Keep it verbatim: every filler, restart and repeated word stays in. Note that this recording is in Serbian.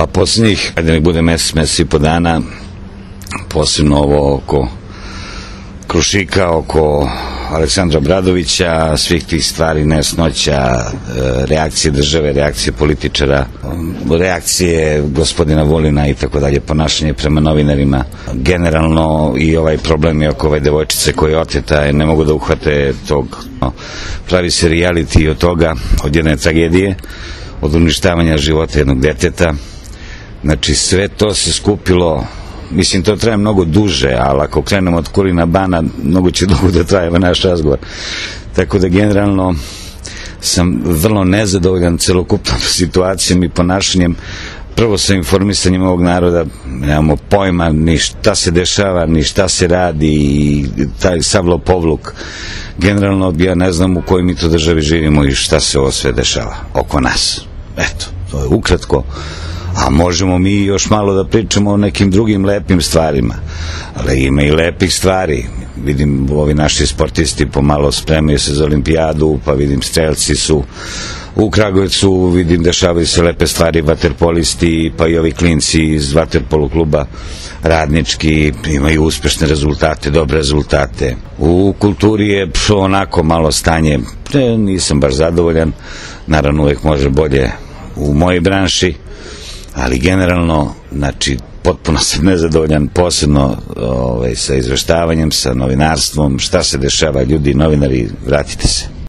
Pa posljednjih, ajde nek bude mesec, mesec i po dana, posebno ovo oko Krušika, oko Aleksandra Obradovića, svih tih stvari, nejasnoća, reakcije države, reakcije političara, reakcije gospodina Vulina i tako dalje, ponašanje prema novinarima. Generalno i ovaj problem je oko ove devojčice koja je oteta, ne mogu da uhvate tog. Pravi se reality od toga, od jedne tragedije, od uništavanja života jednog deteta. Znači sve to se skupilo. Mislim, to traje mnogo duže, ali ako krenemo od Kulina Bana, mnogo će dugo da traje naš razgovor. Tako da generalno sam vrlo nezadovoljan celokupnom situacijom i ponašanjem. Prvo sa informisanjem ovog naroda, nemamo pojma ni šta se dešava, ni šta se radi, i taj savlo povluk. Generalno ja ne znam u kojoj mi to državi živimo i šta se ovo sve dešava oko nas. Eto, to je ukratko. A možemo mi još malo da pričamo o nekim drugim lepim stvarima, ali ima i lepih stvari. Vidim, ovi naši sportisti pomalo spremaju se za olimpijadu, pa vidim strelci su u Kragujevcu, vidim dešavaju se lepe stvari, vaterpolisti, pa i ovi klinci iz vaterpolo kluba Radnički imaju uspešne rezultate, dobre rezultate. U kulturi je onako malo stanje, nisam baš zadovoljan, naravno uvek može bolje u mojoj branši, ali generalno, znači, potpuno sam nezadovoljan, posebno ovaj, sa izveštavanjem, sa novinarstvom, šta se dešava, ljudi, novinari, vratite se.